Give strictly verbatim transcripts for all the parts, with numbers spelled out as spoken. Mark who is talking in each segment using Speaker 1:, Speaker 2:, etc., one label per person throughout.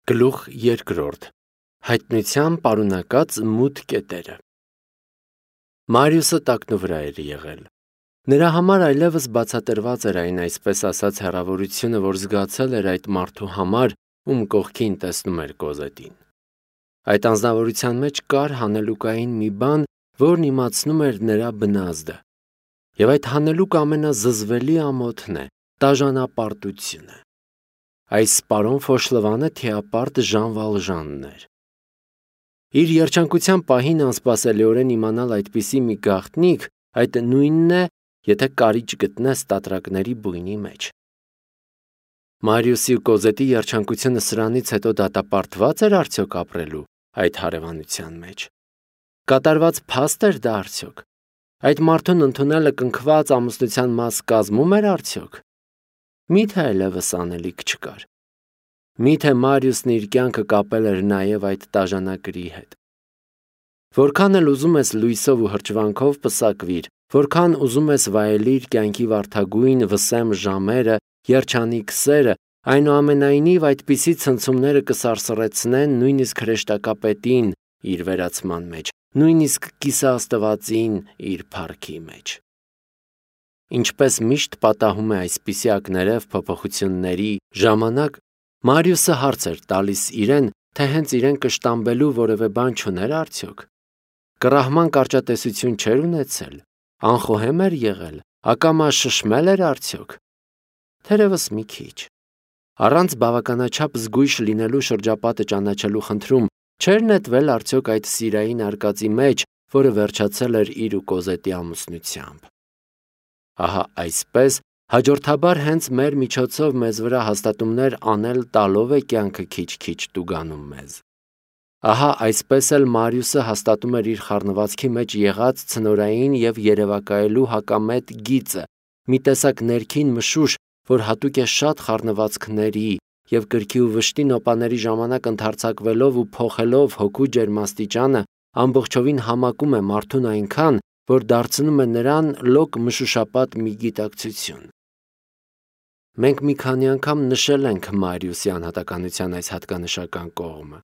Speaker 1: Գլուխ երկրորդ. Հայտնության պարունակած մութ կետերը։ Մարիուսը տակնուվրա էր եղել։ Նրա համար այլևս բացատրված էր այն այսպես ասած հեռավորությունը, որ զգացել էր այդ մարդու համար, ում կողքին տեսնում էր Կոզետին։ Այդ անձնավորության մեջ կար հանելուկային մի բան, որն իմացնում էր նրա բնազդը։ Եվ այդ հանելուկ ամենազզվելի ամոթն է՝ տաժանապարտությունը։ Այս Սպարոն Ֆոշլվանը թիապարտ Ժան Վալժանն էր։ Իր երջանկության պահին անսպասելիորեն իմանալ այդպիսի մի գաղտնիք, այդ նույնն է, եթե կարիճ գտնես տատրակների բույնի մեջ։ Մարիուսի ու Կոզետի երջանկությունը սրանից հետո դատապարտված էր արդյոք ապրելու այդ հարևանության մեջ։ Կատարված փաստ էր դա արդյոք։ Այդ մարդուն ընդունելը կնքված ամուսնության մաս կազմում էր արդյոք։ Միթե այլևս անելիք չկար։ Միթե Մարիուսն իր կյանքը կապել էր նաև այդ տաժանակրի հետ։ Որքան էլ ուզում ես լույսով ու հրճվանքով պսակվիր, որքան ուզում ես վայելիր կյանքի վարդագույն վսեմ ժամերը, երջանիկ սերը, այնուամենայնիվ այդպիսի ցնցումները կսարսռեցնեն նույնիսկ հրեշտակապետին իր վերացման մեջ, նույնիսկ կիսաաստվածին իր փառքի մեջ։ Ինչպես միշտ պատահում է այսպիսի ակներև փոփոխությունների ժամանակ, Մարիուսը հարց էր տալիս իրեն, թե հենց իրեն կշտամբելու որևէ բան չուներ արդյոք։ Կռահման կարճատեսություն չէր ունեցել, անխոհեմ էր եղել, ակամա շշմել էր արդյոք։ Թերևս մի քիչ։ Առանց բավականաչափ զգույշ լինելու շրջապատը ճանաչելու խնդրում չէր նետվել արդյոք այդ սիրային արկածի մեջ, որը վերջացել էր իր ու Կոզետի ամուսնությամբ։ Ահա այսպես հաջորդաբար հենց մեր միջոցով մեզ վրա հաստատումներ անել տալով է կյանքը քիչ-քիչ տուգանում մեզ։ Ահա այսպես էլ Մարիուսը հաստատում էր իր խառնվածքի մեջ եղած ցնորային և երևակայելու հակամետ գիծը, մի տեսակ ներքին մշուշ, որ հատուկ է շատ խառնվածքների և կրքի ու վշտի նոպաների ժամանակ ընդարձակվելով ու փոխելով հոգու ջերմաստիճանը, ամբողջովին համակում է մարդուն այնքան, որ դարձնում է նրան լոկ մշուշապատ մի գիտակցություն։ Մենք մի քանի անգամ նշել ենք Մարիուսի անհատականության այս հատկանշական կողմը։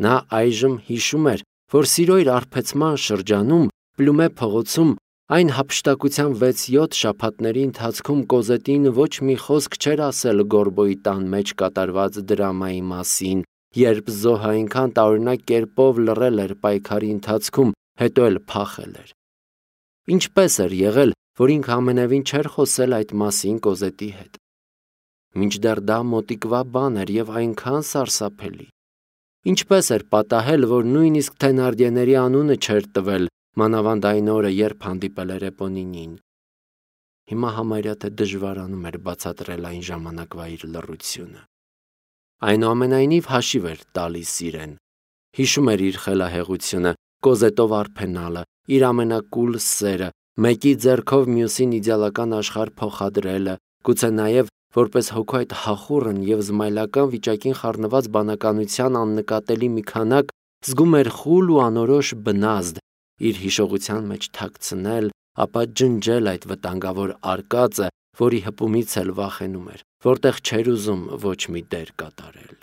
Speaker 1: Նա այժմ հիշում էր, որ սիրո իր արբեցման շրջանում Պլումե փողոցում այն հափշտակության վեց-յոթ շաբաթների ընթացքում Կոզետին ոչ մի խոսք չէր ասել Գորբոյի տան մեջ կատարված դրամայի մասին, երբ զոհը այնքան տարօրինակ կերպով լռել էր պայքարի ընթացքում, հետո էլ փախել էր։ Ինչպես էր եղել, որ ինքը ամենևին չէր խոսել այդ մասին Կոզետի հետ։ Մինչդեռ դա մոտիկվա բան էր և այնքան սարսափելի։ Ինչպես էր պատահել, որ նույնիսկ Թենարդիեների անունը չէր տվել, մանավանդ այն օրը, երբ հանդիպել էր Էպոնինին։ Հիմա համարյա թե դժվարանում էր բացատրել այն ժամանակվա իր լռությունը։ Այնուամենայնիվ հաշիվ էր տալիս իրեն։ Հիշում էր իր խելահեղությունը, Կոզետով արփենալը, իր ամենակուլ սերը, մեկի ձեռքով մյուսին իդեալական աշխարհ փոխադրելը, գուցե նաև որպես հոգու այդ հախուռն և զմայլական վիճակին խառնված բանականության աննկատելի մի քանակ, զգում էր խուլ ու անորոշ բնազդ, իր հիշողության մեջ թաքցնել, ապա ջնջել այդ վտանգավոր արկածը, որի հպումից էլ վախենում էր, որտեղ չէր ուզում ոչ մի դեր կատարել,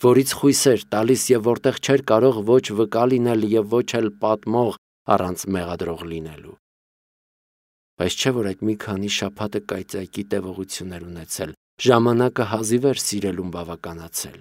Speaker 1: որից խույս էր տալիս և որտեղ չէր կարող ոչ վկա լինել և ոչ էլ պատմող առանց մեղադրող լինելու։ Բայց չէ՞ որ այդ մի քանի շաբաթը կայծակի տևողություն էր ունեցել, ժամանակը հազիվ էր սիրելուն բավականացել։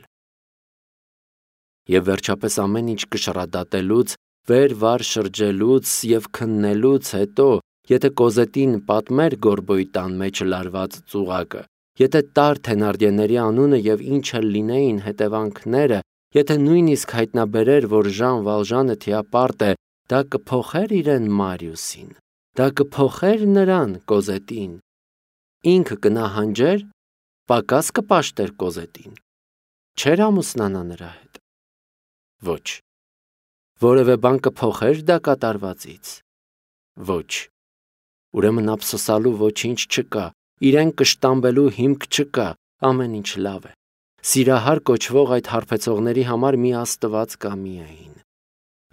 Speaker 1: Եվ վերջապես ամեն ինչ կշռադատելուց, վեր-վար շրջելուց և քննելուց հետո, եթե Կոզետին պատմեր Գորբոյի տան մեջ լարված ծուղակը, եթե տար Թենարդիեների անունը և ինչ էլ լինեին հետևանքները, եթե նույնիսկ հայտնաբերեր, որ Ժան Վալժանը թիապարտ է, դա կփոխե՞ր իրեն Մարիուսին, դա կփոխե՞ր նրան Կոզետին։ Ինքը կնահանջե՞ր, պակաս կպաշտեր Կոզետին, չէր ամուսնանա նրա հետ։ Ոչ։ Որևէ բան կփոխե՞ր դա կատարվածից։ Ոչ։ Ուրեմն ափսոսալու ոչինչ չկա, իրեն կշտամբելու հիմք չկա, ամեն ինչ լավ է։ Սիրահար կոչվող այդ հարբեցողների համար մի Աստված կա միայն։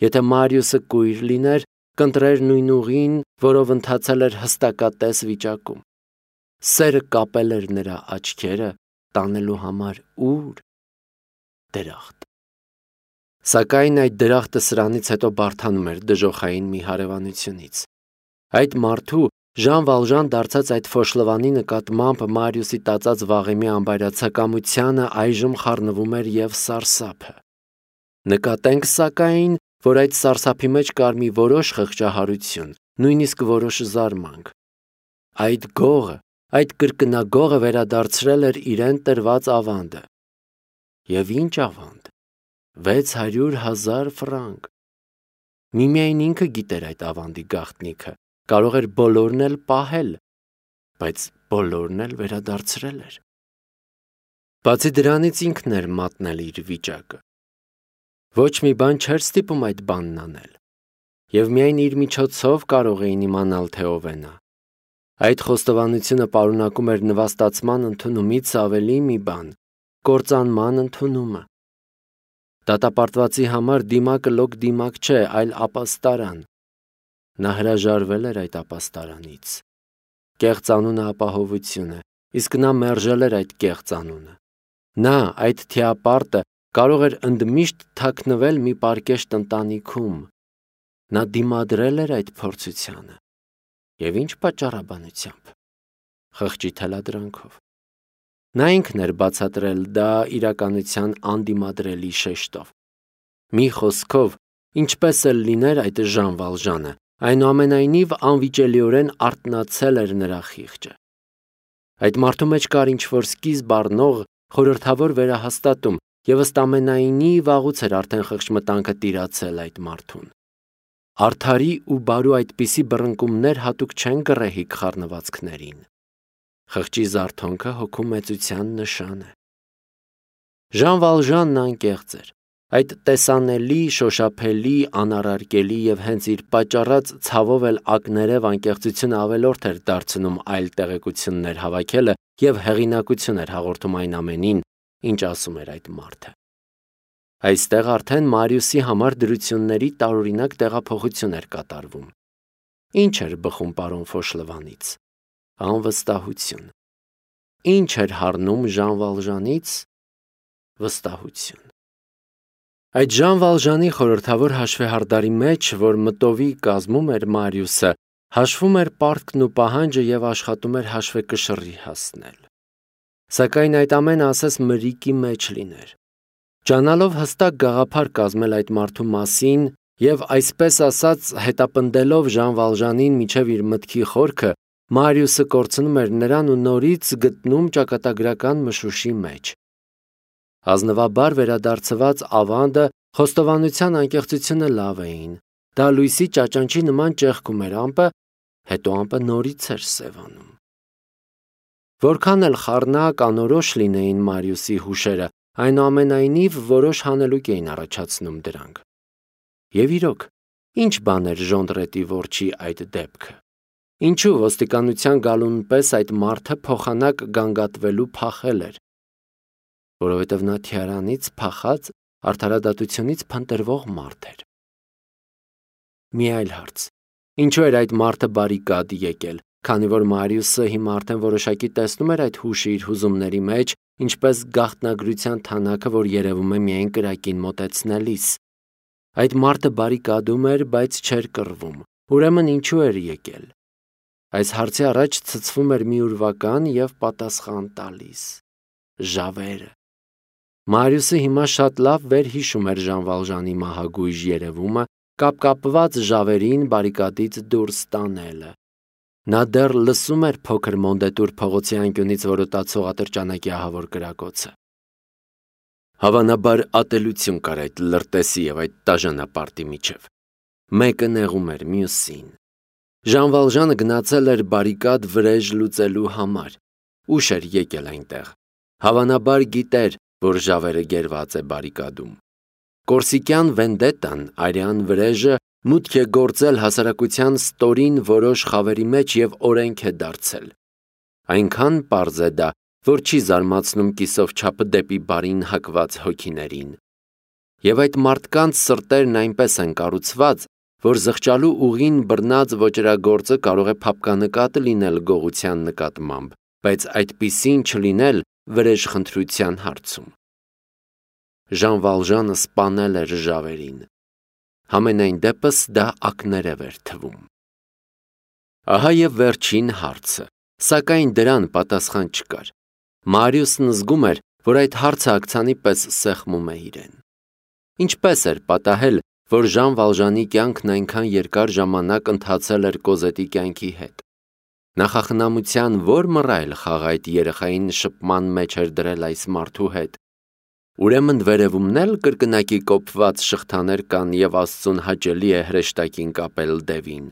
Speaker 1: Եթե Մարիուսը կույր լիներ, կընտրեր նույն ուղին, որով ընթացել էր հստակատես վիճակում։ Սերը կապել էր նրա աչքերը, տանելու համար ու՞ր։ դրախտ։ Սակայն այդ դրախտը սրանից հետո բարդանում էր դժոխային մի հարևանությունից։ Այդ մարդու Ժան Վալժան դարձած այդ Ֆոշլովանի նկատմամբ Մարիուսի տածած վաղեմի անբայրացակամությանը այժմ խառնվում էր և սարսափը։ Նկատենք սակայն, որ այդ սարսափի մեջ կար մի որոշ խղճահարություն, նույնիսկ որոշ զարմանք։ Այդ գողը, այդ կրկնագողը վերադարձրել էր իրեն տրված ավանդը։ Եվ ինչ ավանդ։ Վեց հարյուր հազար ֆրանկ։ Միմիայն ինքը գիտեր այդ ավանդի գաղտնիքը, կարող էր բոլորն էլ պահել, բայց բոլորն էլ վերադարձրել էր։ Բացի դրանից ինքն էր մատնել իր վիճակը։ Ոչ մի բան չէր ստիպում այդ բանն անել, և միայն իր միջոցով կարող էին իմանալ, թե ով է նա։ Այդ խոստովանությունը պարունակում էր նվաստացման ընդունումից ավելի մի բան՝ կործանման ընդունումը։ Դատապարտվածի համար դիմակը լոկ դիմակ չէ, այլ ապաստարան։ Նա հրաժարվել էր այդ ապաստարանից։ Կեղծ անունը ապահովություն է, իսկ նա մերժել էր այդ կեղծ անունը։ Նա, այդ թիապարտը, կարող էր ընդմիշտ թաքնվել մի պարկեշտ ընտանիքում։ Նա դիմադրել էր այդ փորձությանը։ Եվ ինչ պատճառաբանությամբ։ Խղճի թելադրանքով։ Նա ինքն էր բացատրել դա իրականության անդիմադրելի շեշտով։ Մի խոսքով, ինչպես էլ լիներ այդ Ժան Վալժանը, այնուամենայնիվ անվիճելիորեն արթնացել էր նրա խիղճը։ Այդ մարդու մեջ կար ինչ-որ սկիզբ առնող խորհրդավոր վերահաստատում, և ըստ ամենայնի վաղուց էր արդեն խղճմտանքը տիրացել այդ մարդուն։ Արդարի ու բարու այդպիսի բռնկումներ հատուկ չեն գռեհիկ խառնվածքներին։ Խղճի զարթոնքը հոգու մեծության նշան է։ Ժան Վալժանն անկեղծ էր։ Այդ տեսանելի, շոշափելի, անառարկելի և հենց իր պատճառած ցավով էլ ակներև անկեղծությունը ավելորդ էր դարձնում այլ տեղեկություններ հավաքելը և հեղինակություն էր հաղորդում այն ամենին, ինչ ասում էր այդ մարդը։ Այստեղ արդեն Մարիուսի համար դրությունների տարօրինակ տեղափոխություն էր կատարվում։ Ինչ էր բխում պարոն Ֆոշլովանից։ Անվստահություն։ Ինչ էր հառնում Ժան Վալժանից։ Վստահություն։ Այդ Ժան Վալժանի խորհրդավոր հաշվեհարդարի մեջ, որ մտովի կազմում էր Մարիուսը, հաշվում էր պարտքն ու պահանջը և աշխատում էր հաշվեկշռի հասնել։ Սակայն այդ ամենը ասես մրիկի մեջ լիներ։ Ճանալով հստակ գաղափար կազմել այդ մարդու մասին և այսպես ասած հետապնդելով Ժան Վալժանին մինչև իր մտքի խորքը, Մարիուսը կորցնում էր նրան ու նորից գտնում ճակատագրական մշուշի մեջ։ Ազնվաբար վերադարձված ավանդը, խոստովանության անկեղծությունը լավ էին։ Դա լույսի ճաճանչի նման ճեղքում էր ամպը, հետո ամպը նորից էր սևանում։ Որքան էլ խառնակ, անորոշ լինեին Մարիուսի հուշերը, այնուամենայնիվ որոշ հանելուկ էին առաջացնում դրանք։ Եվ իրոք, ինչ բան էր Ժոնդրետի որջի այդ դեպքը։ Ինչու ոստիկանության գալուն պես այդ մարդը փոխանակ գանգատվելու փախել էր։ Որովհետև նա թիարանից փախած, արդարադատությունից փնտրվող մարդ էր։ Մի այլ հարց. ինչու էր այդ մարդը բարիկադ եկել, քանի որ Մարիուսը հիմա արդեն որոշակի տեսնում էր այդ հուշը իր հուզումների մեջ, ինչպես գաղտնագրության թանակը, որ երևում է միայն կրակին մոտեցնելիս։ Այդ մարդը բարիկադում էր, բայց չէր կռվում։ Ուրեմն ինչու էր եկել։ Այս հարցի առաջ ցցվում էր մի ուրվական և պատասխան տալիս. ժավերը։ Մարիուսը հիմա շատ լավ վերհիշում էր Ժան Վալժանի մահագույժ երևումը, կապկապված ժավերին բարիկադից դուրս տանելը։ Նա դեռ լսում էր փոքր Մոնդետուր փողոցի անկյունից որոտացող ատրճանակի ահավոր կրակոցը։ Հավանաբար ատելություն կար այդ լրտեսի և այդ տաժանապարտի միջև։ Մեկը նեղում էր մյուսին։ Ժան Վալժանը գնացել էր բարիկադ վրեժ լուծելու համար։ Ուշ էր եկել այնտեղ։ Հավանաբար գիտեր, որ ժավերը գերված է բարիկադում։ Կորսիկյան վենդետան, արյան վրեժը, մուտք է գործել հասարակության ստորին որոշ խավերի մեջ և օրենք է դարձել։ Այնքան պարզ է դա, որ չի զարմացնում կիսով չափը դեպի բարին հակված հոգիներին։ Եվ այդ մարդկանց սրտերն այնպես են կառուցված, որ զղջալու ուղին բռնած ոճրագործը կարող է փափկանկատ լինել գողության նկատմամբ, բայց այդպիսին չլինել վրեժխնդրության հարցում։ Ժան Վալժանը սպանել էր ժավերին։ Համենայն դեպս դա ակներև էր թվում։ Ահա և վերջին հարցը, սակայն դրան պատասխան չկար։ Մարիուսն զգում էր, որ այդ հարցը աքցանի պես սեղմում է իրեն։ Ինչպես էր պատահել, որ Ժան Վալժանի կյանքն այնքան երկար ժամանակ ընթացել էր Կոզետի կյանքի հետ։ Նախախնամության ո՞ր մռայլ խաղ այդ երեխային շփման մեջ էր դրել այս մարդու հետ։ Ուրեմն վերևումն էլ կրկնակի կոփված շղթաներ կան և Աստծուն հաճելի է հրեշտակին կապել դևին։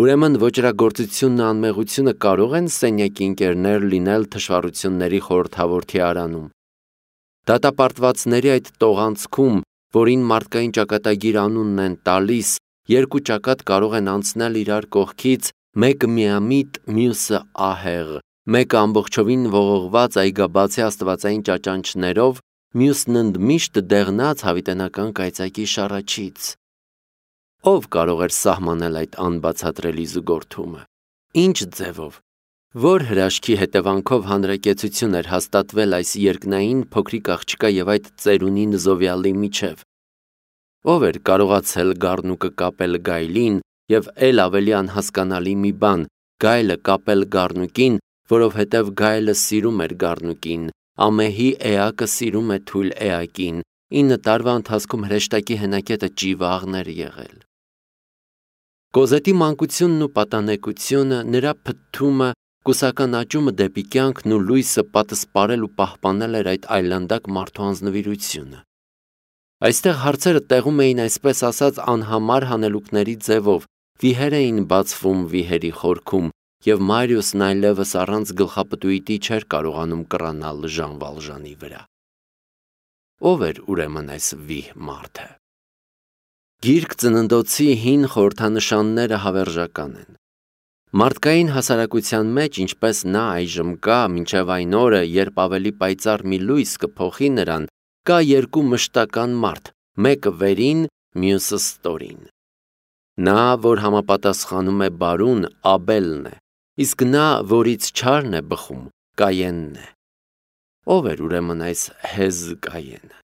Speaker 1: Ուրեմն ոճրագործությունն ու անմեղությունը կարող են սենյակի ընկերներ լինել թշվառությունների խորհրդավորի արանում։ Դատապարտվածների այդ տողանցքում, որին մարդկային ճակատագիր անունն են տալիս, երկու ճակատ կարող են անցնել իրար կողքից, մեկը միամիտ, մյուսը ահեղ, մեկը ամբողջովին ողողված այգաբացի աստվածային ճաճանչներով, մյուսն ընդմիշտ դեղնած հավիտենական կայծակի շառաչից։ Ո՞վ կարող էր սահմանել այդ անբացատրելի զուգորդումը։ Ինչ ձևով, որ հրաշքի հետևանքով հանրակեցություն էր հաստատվել այս երկնային փոքրիկ աղջկա և այդ ծերունի նզովյալի միջև։ Ո՞վ էր կարողացել գառնուկը կապել գայլին և էլ ավելի անհասկանալի մի բան, գայլը կապել գառնուկին, որովհետև գայլը սիրում էր գառնուկին, ամեհի էակը սիրում է թույլ էակին, ինը տարվա ընթացքում հրեշտակի հենակետը ճիվաղն էր եղել։ Կոզետի մանկությունն ու պատանեկությունը, նրա փթթումը, կուսական աճումը դեպի կյանքն ու լույսը պատսպարել ու պահպանել էր այդ այլանդակ մարդու անձնվիրությունը։ Այստեղ հարցերը տեղում էին այսպես ասած անհամար հանելուկների ձևով, վիհեր էին բացվում վիհերի խորքում, և Մարիուսն այլևս առանց գլխապտույտի չէր կարողանում կռանալ Ժան Վալժանի վրա։ Ո՞վ էր ուրեմն այս վիհ մարդը։ Գիրք ծննդոցի հին խորհրդանշանները հավերժական են։ Մարդկային հասարակության մեջ, ինչպես նա այժմ կա, մինչև այն օրը, երբ ավելի պայծառ մի լույս կփոխի նրան, կա երկու մշտական մարդ, մեկը վերին, մյուսը ստորին։ Նա, որ համապատասխանում է բարուն, Աբելն է, իսկ նա, որից չարն է բխում, Կայենն է։ Ո՞վ էր ուրեմն այս հեզ Կայենը։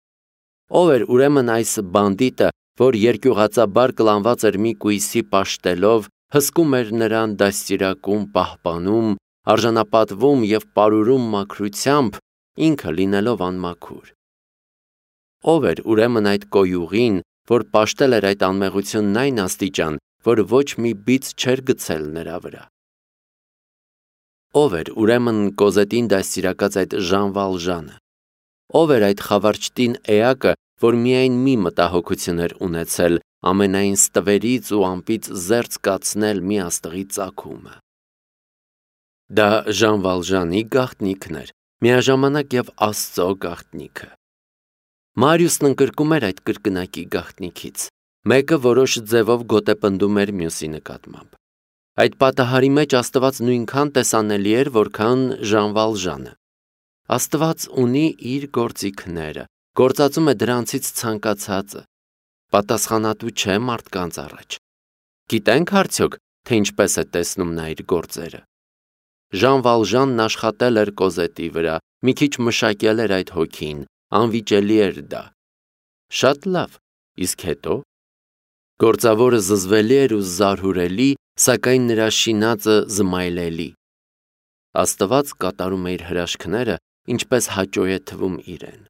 Speaker 1: Ո՞վ էր ուրեմն այս բանդիտը, որ երկյուղածաբար կլանված էր մի կույսի պաշտելով, հսկում էր նրան դաստիարակում, պահպանում, արժանապատվում և պարուրում մաքրությամբ, ինքը լինելով անմաքուր։ Ո՞վ էր ուրեմն այդ կոյուղին, որ պաշտել էր այդ անմեղությունն այն աստիճան, որ ոչ մի բիծ չէր գցել նրա վրա։ Ո՞վ էր ուրեմն Կոզետին դաստիարակած այդ Ժան Վալժանը։ Ո՞վ էր այդ խավարճտին էակը, որ միայն մի մտահոգություն էր ունեցել, ամենայն ստվերից ու ամպից զերծ կացնել մի աստղի ծագումը։ Դա Ժան Վալժանի գաղտնիքն էր, միաժամանակ և Աստծո գաղտնիքը։ Մարիուսն ընկրկում էր այդ կրկնակի գաղտնիքից, մեկը որոշ ձևով գոտեպնդում էր մյուսի նկատմամբ։ Այդ պատահարի մեջ Աստված նույնքան տեսանելի էր, որքան Ժան Վալժանը։ Աստված ունի իր գործիքները, գործածում է դրանցից ցանկացածը, պատասխանատու չէ մարդկանց առաջ։ Գիտենք արդյոք, թե ինչպես է տեսնում նա իր գործերը։ Ժան Վալժանն աշխատել էր Կոզետի վրա, մի քիչ մշակել էր այդ հոգին, անվիճելի էր դա։ Շատ լավ, իսկ հետո։ Գործավորը զզվելի էր ու զարհուրելի, սակայն նրա շինածը զմայլելի։ Աստված կատարում է իր հրաշքները, ինչպես հաճո է թվում իրեն։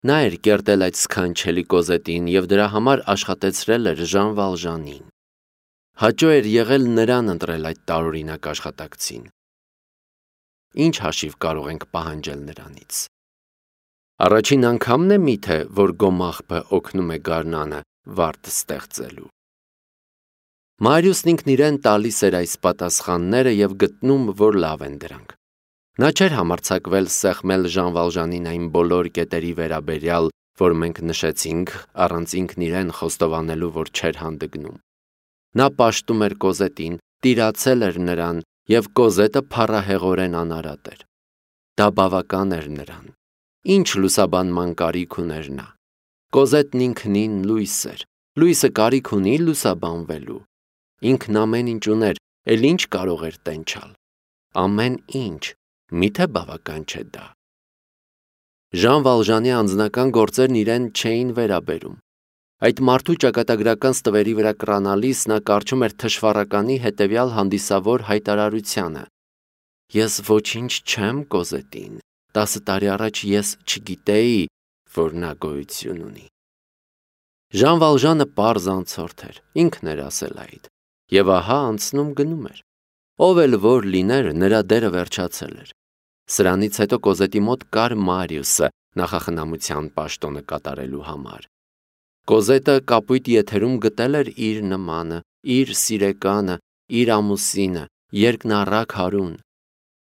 Speaker 1: Նա էր կերտել այդ սքանչելի Կոզետին և դրա համար աշխատեցրել էր Ժան Վալժանին։ Հաճո էր եղել նրան ընտրել այդ տարօրինակ աշխատակցին։ Ինչ հաշիվ կարող ենք պահանջել նրանից։ Առաջին անգամն է միթե, որ գոմաղբը օգնում է գարնանը վարդ ստեղծելու։ Մարիուսն ինքն իրեն տալիս էր այս պատասխանները և գտնում, որ լավ են դրանք։ Նա չէր համարձակվել սեղմել Ժան Վալժանին այն բոլոր կետերի վերաբերյալ, որ մենք նշեցինք, առանց ինքն իրեն խոստովանելու, որ չէր հանդգնում։ Նա պաշտում էր Կոզետին, տիրացել էր նրան, և Կոզետը փառահեղորեն անարատ էր։ Դա բավական էր նրան։ Ինչ լուսաբանման կարիք ուներ նա։ Կոզետն ինքնին լույս էր, լույսը կարիք ունի լուսաբանվելու։ Ինքն ամեն ինչ ուներ, էլ ինչ կարող էր տենչալ։ Ամեն ինչ, միթե բավական չէ դա։ Ժան Վալժանի անձնական գործերն իրեն չէին վերաբերում։ Այդ մարդու ճակատագրական ստվերի վրա կռանալիս նա կարճում էր թշվառականի հետևյալ հանդիսավոր հայտարարությանը. «Ես ոչինչ չեմ Կոզետին, տասը տարի առաջ ես չգիտեի, որ նա գոյություն ունի»։ Ժան Վալժանը պարզ անցորդ էր, ինքն էր ասել այդ, եւ ահա անցնում գնում էր։ Ով էլ որ լիներ, նրա դերը վերջացել էր։ Սրանից հետո Կոզետի մոտ կար Մարիուսը նախախնամության պաշտոնը կատարելու համար։ Կոզետը կապույտ եթերում գտել էր իր նմանը, իր սիրեկանը, իր ամուսինը, երկնառակ Հարուն։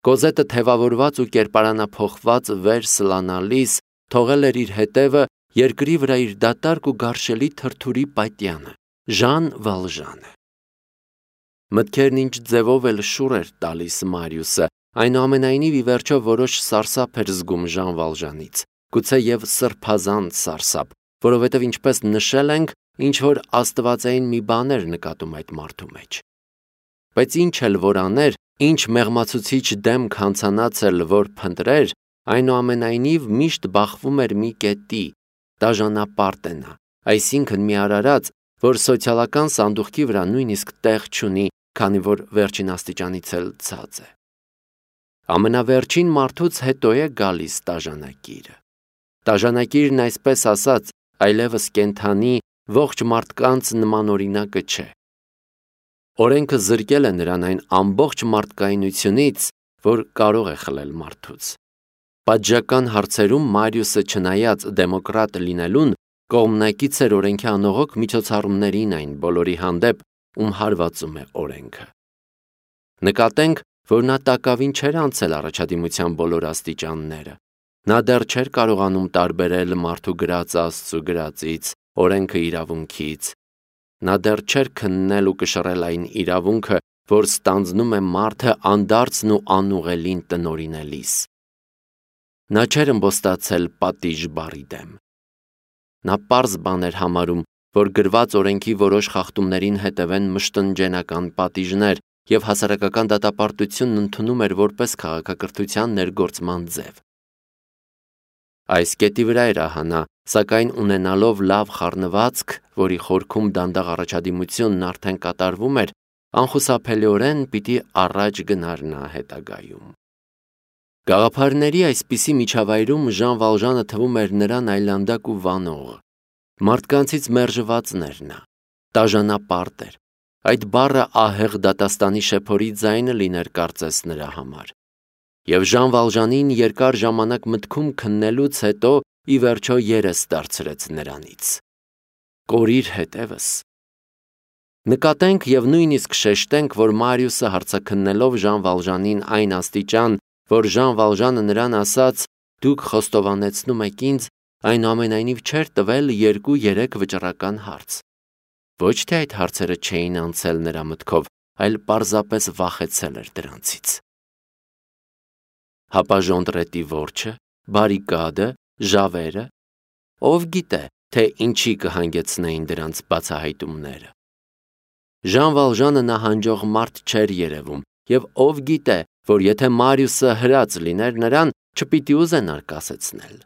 Speaker 1: Կոզետը թևավորված ու կերպարանափոխված վեր սլանալիս թողել էր իր հետևը երկրի վրա իր դատարկ ու գարշելի թրթուրի պատյանը, Ժան Վալժանը։ Մտքերն ինչ ձևով էլ շուռ էր տալիս Մարիուսը, այնուամենայնիվ ի վերջո որոշ սարսափ էր զգում Ժան Վալժանից, գուցե եւ սրբազան սարսափ, որովհետեւ ինչպես նշել ենք, ինչ որ աստվածային մի բան էր նկատում այդ մարդու մեջ։ Բայց ինչ էլ որ աներ, ինչ մեղմացուցիչ դեմք հանցանացել որ փնտրեր, այնուամենայնիվ միշտ բախվում էր մի կետի, դաժանապարտ է նա, այսինքն մի արարած, որ սոցիալական սանդուղքի վրա նույնիսկ տեղ չունի, քանի որ վերջին աստիճանից էլ ցած է։ Ամենավերջին մարդուց հետո է գալիս տաժանակիրը։ Տաժանակիրն այսպես ասած, այլևս կենթանի ողջ մարդկանց նմանօրինակը չէ։ Օրենքը զրկել է նրան այն ամբողջ մարդկայնությունից, որ կարող է խլել մարդուց։ Պատժական հարցերում Մարիուսը չնայած դեմոկրատ լինելուն, կողմնակից էր օրենքի անողոք միջոցառումներին այն բոլորի հանդեպ, ում հարվածում է օրենքը։ Նկատենք, որ նա տակավին չէր անցել առաջադիմության բոլոր աստիճանները։ Նա դեռ չէր կարողանում տարբերել մարդու գրածը Աստծու գրածից, օրենքը իրավունքից։ Նա դեռ չէր քննել ու կշռել այն իրավունքը, որ ստանձնում է մարդը անդարձն ու անուղելին տնօրինելիս։ Նա չէր ըմբոստացել պատիժ բառի դեմ։ Նա պարզ բան էր համարում, որ գրված օրենքի որոշ խախտումներին հետևեն մշտնջենական պատիժներ և հասարակական դատապարտությունն ընդունում էր որպես քաղաքակրթության ներգործման ձև։ Այս կետի վրա էր ահա նա, սակայն ունենալով լավ խառնվածք, որի խորքում դանդաղ առաջադիմությունն արդեն կատարվում էր, անխուսափելիորեն պիտի առաջ գնար նա հետագայում։ Գաղափարների այսպիսի միջավայրում Ժան Վալժանը թվում էր նրան այլանդակ ու վանող։ Մարդկանցից մերժվածն էր նա, տաժանապարտ էր։ Այդ բառը ահեղ դատաստանի շեփորի ձայնը լիներ կարծես նրա համար։ Եվ Ժան Վալժանին երկար ժամանակ մտքում քննելուց հետո ի վերջո երես դարձրեց նրանից։ Կորիր հետևս։ Նկատենք եւ նույնիսկ շեշտենք, որ Մարիուսը հարցաքննելով Ժան Վալժանին այն աստիճան, որ Ժան Վալժանը նրան ասաց. «Դուք խոստովանեցնում եք ինձ», այնուամենայնիվ չէր տվել երկու-երեք վճռական հարց։ Ոչ թե այդ հարցերը չէին անցել նրա մտքով, այլ պարզապես վախեցել էր դրանցից։ Հապաժոնտրետի որջը, բարիկադը, ժավերը, ով գիտե, թե ինչի կհանգեցնեին դրանց բացահայտումները։ Ժան Վալժանը նահանջող մարդ չէր երևում, եւ ով գիտե, որ եթե Մարիուսը հրած լիներ նրան, չպիտի ուզենար կասեցնել։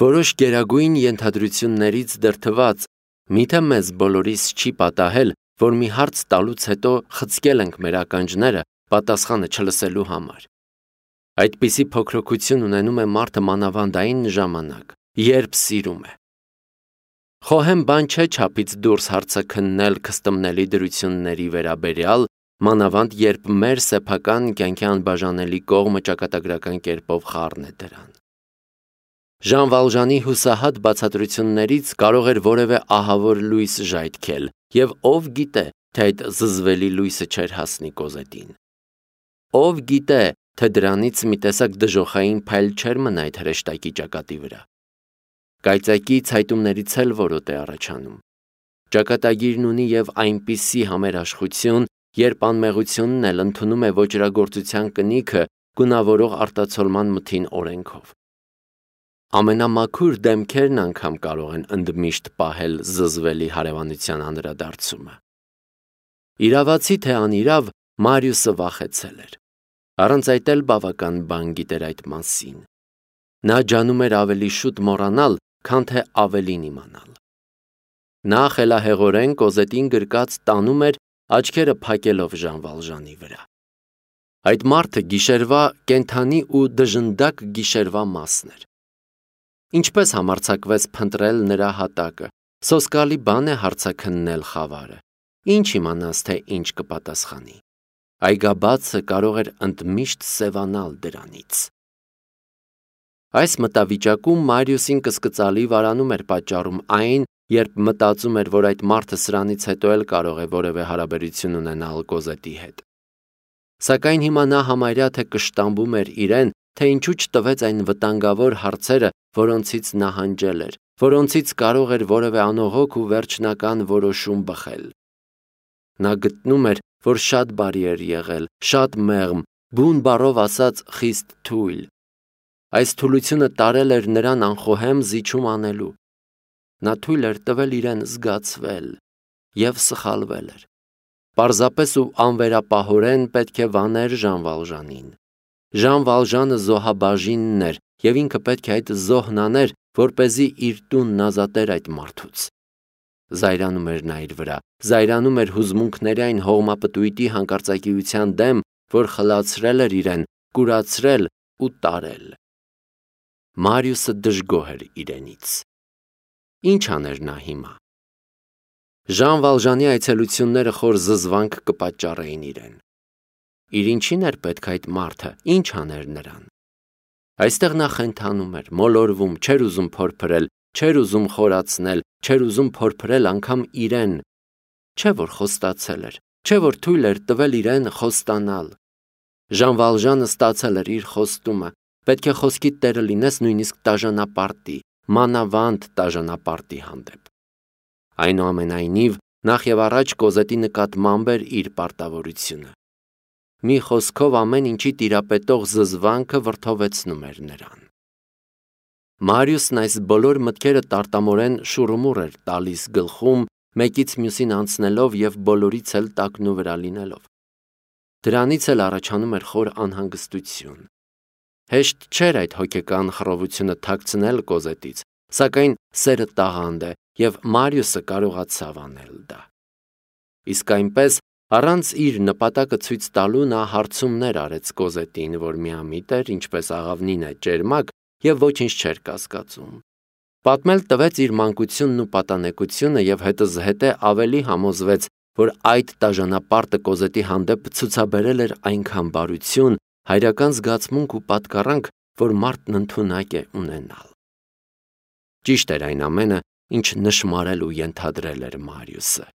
Speaker 1: Որոշ գերագույն ենթադրություններից դրդված, միթե մեզ բոլորիս չի պատահել, որ մի հարց տալուց հետո խցկել ենք մեր ականջները պատասխանը չլսելու համար։ Այդպիսի փոքրοκություն ունենում է մարդը մանավանդային ժամանակ, երբ սիրում է։ Խոհեմ բան չէ չափից դուրս հարցաքննել քստմնելի դրությունների վերաբերյալ, մանավանդ երբ մեր սեփական կյանքի անբաժանելի կողմը ճակատագրական կերպով խառն է դրան։ Ժան Վալժանի հուսահատ բացատրություններից կարող էր որևէ ահավոր լույս ժայթքել, եւ ով գիտե, թե այդ զզվելի լույսը չէր հասնի Կոզետին։ Ով գիտե, թե դրանից մի տեսակ դժոխային փայլ չէր մնա այդ հրեշտակի ճակատի վրա։ Կայծակի ցայտումներից էլ որոտ է առաջանում։ Ճակատագիրն ունի եւ այնպիսի համերաշխություն, երբ անմեղությունն էլ ընդունում է ոճրագործության կնիքը գունավորող արտացոլման մթին օրենքով։ Ամենամաքուր դեմքերն անգամ կարող են ընդմիշտ պահել զզվելի հարևանության անդրադարձումը։ Իրավացի թե անիրավ, Մարիուսը վախեցել էր։ Առանց այդ էլ բավական բան գիտեր այդ մասին։ Նա ջանում էր ավելի շուտ մոռանալ, քան թե ավելին իմանալ։ Նա խելահեղորեն Կոզետին գրկած տանում էր, աչքերը փակելով Ժան Վալժանի վրա։ Այդ մարդը գիշերվա կենդանի ու դժնդակ գիշերվա մասն էր։ Ինչպես համարձակվեց փնտրել նրա հատակը, սոսկալի բան է հարցաքննել խավարը, ինչ իմանաս, թե ինչ կպատասխանի։ Այգաբացը կարող էր ընդմիշտ սևանալ դրանից։ Այս մտավիճակում Մարիուսին կսկծալի վարանում էր պատճառում այն, երբ մտածում էր, որ այդ մարդը սրանից հետո էլ կարող է որևէ հարաբերություն ունենալ Կոզետի հետ։ Սակայն հիմա նա համարյա թե կշտամբում էր իրեն, թե ինչու չտվեց այն վտանգավոր հարցերը, որոնցից նահանջել էր, որոնցից կարող էր որևէ անողոք ու վերջնական որոշում բխել։ Նա գտնում էր, որ շատ բարի էր եղել, շատ մեղմ, բուն բառով ասած խիստ թույլ։ Այս թուլությունը տարել էր նրան անխոհեմ զիջում անելու։ Նա թույլ էր տվել իրեն զգացվել և սխալվել էր։ Պարզապես ու անվերապահորեն պետք է վաներ Ժան Վալժանին։ Ժան Վալժանը զոհաբաժինն էր, և ինքը պետք է այդ զոհն աներ, որպեսզի իր տունն ազատեր այդ մարդուց։ Զայրանում էր նա իր վրա, զայրանում էր հուզմունքների այն հողմապտույտի հանկարծակիության դեմ, որ խլացրել էր իրեն, կուրացրել ու տարել։ Մարիուսը դժգոհ էր իրենից։ Ինչ աներ նա հիմա։ Ժան Վալժանի այցելությունները խոր զզվանք կպատճառեին իրեն։ Իր ինչին էր պետք այդ մարդը, ինչ աներ նրան։ Այստեղ նա խենթանում էր, մոլորվում, չէր ուզում փորփրել, չէր ուզում խորացնել, չէր ուզում փորփրել անգամ իրեն։ Չէ որ խոստացել էր, չէ որ թույլ էր տվել իրեն խոստանալ։ Ժան Վալժանը ստացել էր իր խոստումը, պետք է խոսքիդ տերը լինես նույնիսկ տաժանապարտի, մանավանդ տաժանապարտի հանդեպ։ Այնուամենայնիվ, նախ և առաջ Կոզետի նկատմամբ էր իր պարտավորությունը։ Մի խոսքով ամեն ինչի տիրապետող զզվանքը վրդովեցնում էր նրան։ Մարիուսն այս բոլոր մտքերը տարտամորեն շուռումուռ էր տալիս գլխում, մեկից մյուսին անցնելով և բոլորից էլ տակնու վրա լինելով։ Դրանից էլ առաջանում էր խոր անհանգստություն։ Հեշտ չէր այդ հոգեկան խռովությունը թաքցնել Կոզետից, սակայն սերը տաղանդ է, և Մարիուսը կարողացավ անել դա։ Իսկ այնպես, առանց իր նպատակը ցույց տալու նա հարցումներ արեց Կոզետին, որ միամիտ էր, ինչպես աղավնին է ճերմակ, և ոչինչ չէր կասկածում։ Պատմել տվեց իր մանկությունն ու պատանեկությունը և հետզհետե ավելի համոզվեց, որ այդ տաժանապարտը Կոզետի հանդեպ ցուցաբերել էր այնքան բարություն, հայրական զգացմունք ու պատկառանք, որ մարդն ընդունակ է ունենալ։ Ճիշտ էր այն ամենը, ինչ նշմարել ու ենթադրել էր Մարիուսը։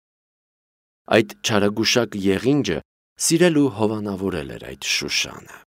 Speaker 1: Այդ չարագուշակ եղինջը սիրել ու հովանավորել էր այդ Շուշանը։